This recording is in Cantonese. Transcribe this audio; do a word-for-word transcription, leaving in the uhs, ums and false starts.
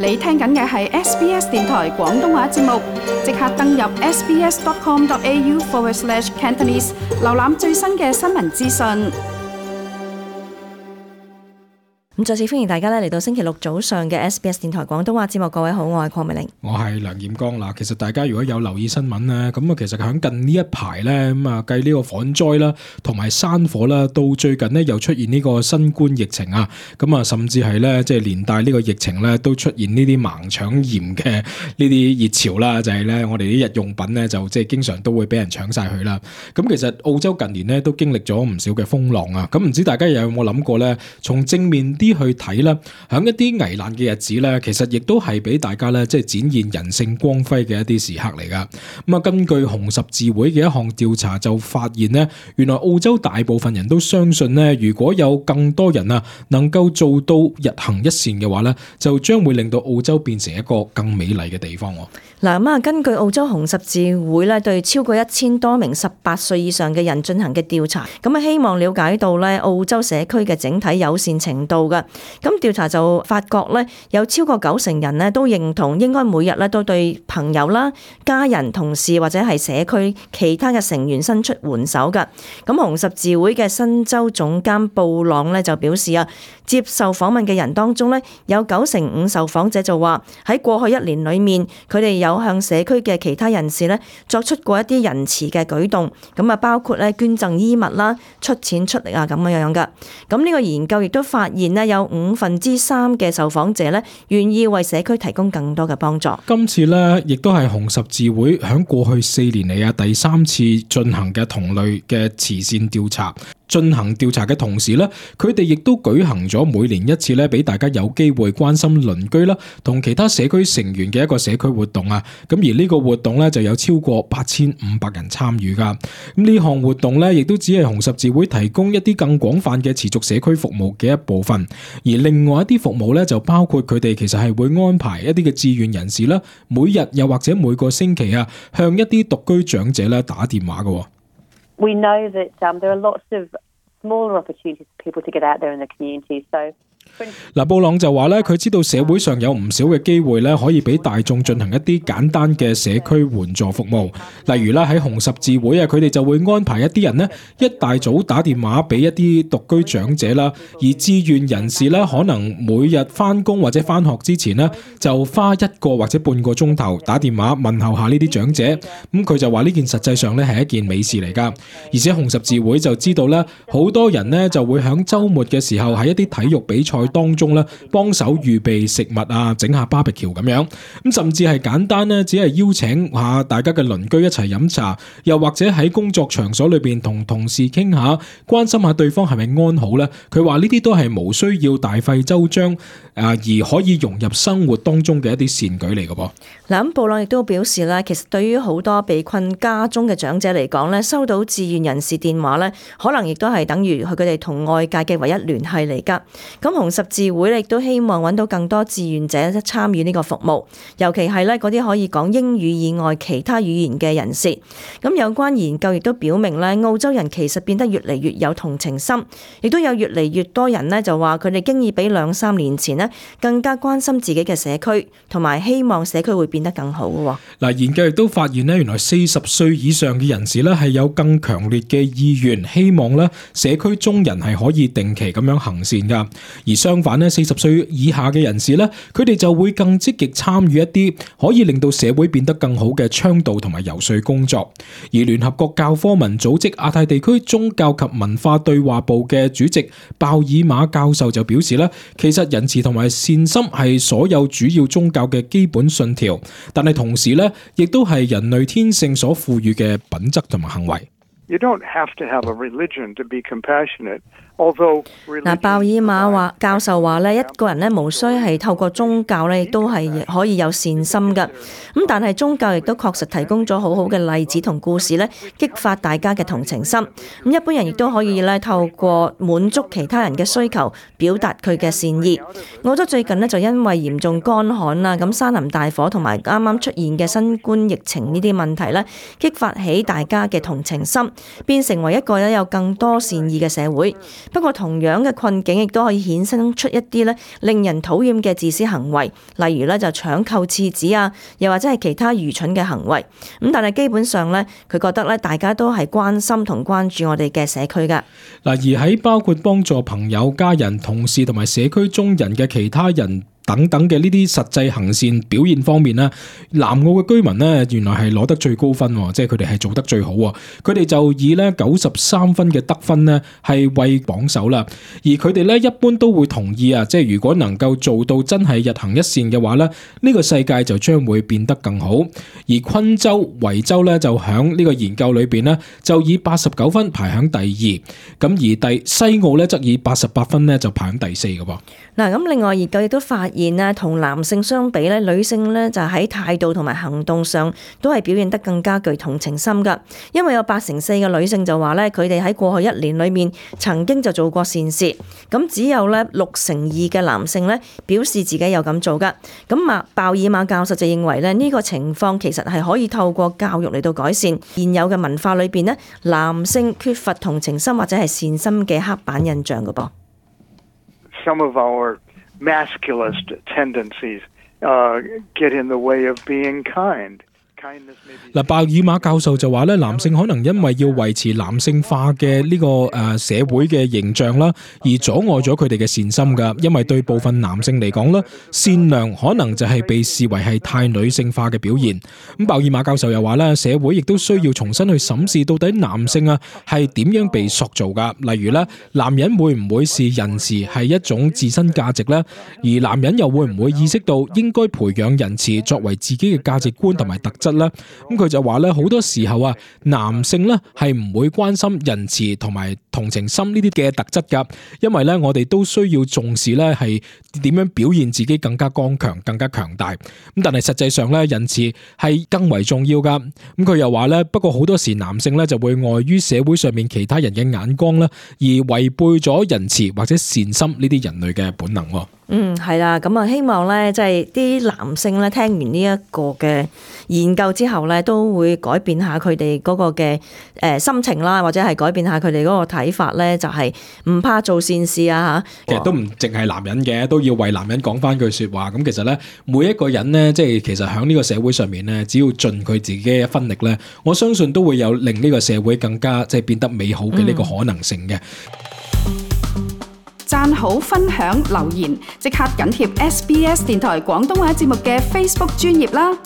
你聽緊嘅係 S B S 電台廣東話節目，即刻登入 sbs.com.au forward slash Cantonese， 瀏覽最新嘅新聞資訊。咁再次歡迎大家咧嚟到星期六早上嘅 S B S 電台廣東話節目，各位好，我係鄺美玲，我係梁彥剛嗱。其實大家如果有留意新聞咧，咁啊，其實喺近呢一排咧，咁啊，繼呢個旱災啦，同埋山火啦，到最近呢又出現呢個新冠疫情啊，咁啊，甚至係咧即係連帶呢個疫情咧都出現呢啲盲搶鹽嘅呢啲熱潮啦，就係咧我哋啲日用品咧就即係經常都會俾人搶晒佢啦。咁其實澳洲近年咧都經歷咗唔少嘅風浪啊，咁唔知大家有冇諗過咧，從正面啲去睇啦，喺一啲危難嘅日子咧，其實亦都係俾大家咧，即係展現人性光輝嘅一啲時刻嚟噶。咁啊，根據紅十字會嘅一項調查就發現咧，原來澳洲大部分人都相信咧，如果有更多人啊能夠做到日行一善嘅話咧，就將會令到澳洲變成一個更美麗嘅地方。嗱，咁啊，根據澳洲紅十字會咧對超過一千多名十八歲以上嘅人進行嘅調查，咁啊希望了解到咧澳洲社區嘅整體友善程度嘅。咁調查就發覺咧，有超過九成人咧都認同應該每日咧都對朋友啦、家人、同事或者係社區其他嘅成員伸出援手㗎。咁紅十字會嘅新州總監布朗咧就表示啊，接受訪問嘅人當中咧，有九成五受訪者就話喺過去一年裏面，佢哋有向社區嘅其他人士咧作出過一啲仁慈嘅舉動，咁啊包括咧捐贈衣物啦、出錢出力啊咁樣樣噶。咁呢個研究亦都發現咧，有五分之三嘅受訪者咧願意為社區提供更多嘅幫助。今次咧亦都係紅十字會響過去四年嚟啊第三次進行嘅同類嘅慈善調查。進行調查嘅同時咧，佢哋亦都舉行咗每年一次咧，俾大家有機會關心鄰居啦，同其他社區成員嘅一個社區活動啊。咁而呢個活動咧就有超過八千五百人參與噶。咁呢項活動咧，亦都只係紅十字會提供一啲更廣泛嘅持續社區服務嘅一部分。而另外一啲服務咧，就包括佢哋其實係會安排一啲嘅志願人士啦，每日又或者每個星期啊，向一啲獨居長者咧打電話噶。We know that um, there are lots of smaller opportunities for people to get out there in the community. So嗱，布朗就話咧，佢知道社會上有唔少嘅機會咧，可以俾大眾進行一啲簡單嘅社區援助服務。例如啦，喺紅十字會啊，佢哋就會安排一啲人呢，一大早打電話俾一啲獨居長者啦，而志願人士咧，可能每日翻工或者翻學之前呢，就花一個或者半個鐘頭打電話問候下呢啲長者。咁佢就話呢件實際上咧係一件美事嚟噶。而且紅十字會就知道咧，好多人呢就會喺週末嘅時候喺一啲體育比賽當中咧，幫手預備食物啊，整下 barbecue 咁樣，咁甚至係簡單咧，只係邀請下大家嘅鄰居一齊飲茶，又或者喺工作場所裏邊同同事傾下，關心下對方係咪安好咧。佢話呢啲都係無需要大費周章啊，而可以融入生活當中嘅一啲善舉嚟嘅噃。嗱，咁布朗亦都表示咧，其實對於好多被困家中嘅長者嚟講咧，收到志願人士電話咧，可能亦都係等於佢哋同外界嘅唯一聯繫嚟噶。咁紅十字會亦都希望揾到更多志願者參與呢個服務，尤其係咧嗰啲可以講英語以外其他語言嘅人士。咁有關研究亦都表明咧，澳洲人其實變得越嚟越有同情心，亦都有越嚟越多人咧就話佢哋經已比兩三年前咧更加關心自己嘅社區，同埋希望社區會變得更好嘅。嗱，研究亦都發現咧，原來四十歲以上嘅人士咧係有更強烈嘅意願，希望咧社區中人係可以定期咁樣行善噶。而相反咧，四十歲以下嘅人士咧，佢哋就會更積極參與一啲可以令到社會變得更好嘅倡導同埋游說工作。而聯合國教科文組織亞太地區宗教及文化對話部嘅主席鮑爾馬教授就表示咧，其實仁慈同埋善心係所有主要宗教嘅基本信條，但係同時咧，亦都係人類天性所賦予嘅品質同埋行為。You don't have to have a religion to be compassionate. Although 嗱，鮑爾馬話教授話咧，一個人咧無需係透過宗教咧，亦都係可以有善心嘅。咁但係宗教亦都確實提供咗好好嘅例子同故事咧，激發大家嘅同情心。咁一般人亦都可以咧透過滿足其他人嘅需求，表達佢嘅善意。澳洲最近咧就因為嚴重乾旱啦，咁山林大火同埋啱啱出現嘅新冠疫情呢啲問題咧，激發起大家嘅同情心，變成為一個咧有更多善意嘅社會。不過同樣嘅困境亦都可以衍生出一啲咧令人討厭嘅自私行為，例如咧就搶購廁紙啊，又或者係其他愚蠢嘅行為。咁但係基本上咧，佢覺得咧大家都係關心同關注我哋嘅社區㗎。嗱，而喺包括幫助朋友、家人、同事同埋社區中人嘅其他人等等嘅呢啲實際行善表現方面呢，南澳嘅居民呢，原來係攞得最高分，即係佢哋係做得最好。佢哋就以呢九十三分嘅得分呢係為榜首啦。而佢哋呢一般都會同意啊，即係如果能夠做到真係日行一善嘅話呢，呢個世界就將會變得更好。而昆州、維州呢，就響呢個研究裏邊呢，就以八十九分排響第二，咁而第西澳呢，則以八十八分呢就排響第四嘅噃。嗱，咁另外研究亦都發現咧，同男性相比咧，女性咧就喺態度同埋行動上都係表現得更加具同情心㗎。因為有八成四嘅女性就話咧，佢哋喺過去一年裏面曾經就做過善事，咁只有咧六成二嘅男性咧表示自己有咁做㗎。咁馬鮑爾馬教授就認為咧，呢個情況其實係可以透過教育嚟到改善現有嘅文化裏邊咧，男性缺乏同情心或者係善心嘅刻板印象㗎噃。Some of our masculist tendencies uh, get in the way of being kind. 嗱，鮑爾馬教授就話咧，男性可能因為要維持男性化嘅呢個誒社會嘅形象啦，而阻礙咗佢哋嘅善心噶。因為對部分男性嚟講咧，善良可能就係被視為係太女性化嘅表現。咁鮑爾馬教授又話咧，社會亦都需要重新去審視到底男性啊係點樣被塑造噶。例如咧，男人會唔會視仁慈係一種自身價值咧？而男人又會唔會意識到應該培養仁慈作為自己嘅價值觀同埋特質？咁佢就話咧，好多時候啊，男性咧係唔會關心仁慈同埋同情心呢啲嘅特質噶，因為咧我哋都需要重視咧係點樣表現自己更加剛強、更加強大。咁但係實際上咧，仁慈係更為重要噶。咁佢又話咧，不過好多時男性咧就會礙於社會上面其他人嘅眼光啦，而違背咗仁慈或者善心呢啲人類嘅本能。嗯，係啦，咁啊，希望咧，即係啲男性咧，聽完呢一個嘅研究之後咧，都會改變下佢哋嗰個嘅誒心情啦，或者係改變下佢哋嗰個睇法咧，就係唔怕做善事啊嚇。其實都唔淨係男人嘅，都要為男人講翻句説話。咁其實咧，每一個人咧，即係其實喺呢個社會上面咧，只要盡佢自己嘅一分力咧，我相信都會有令呢個社會更加即係變得美好嘅呢個可能性嘅。讚好、分享、留言，即刻緊貼 S B S 電台廣東話節目嘅 Facebook 專頁啦！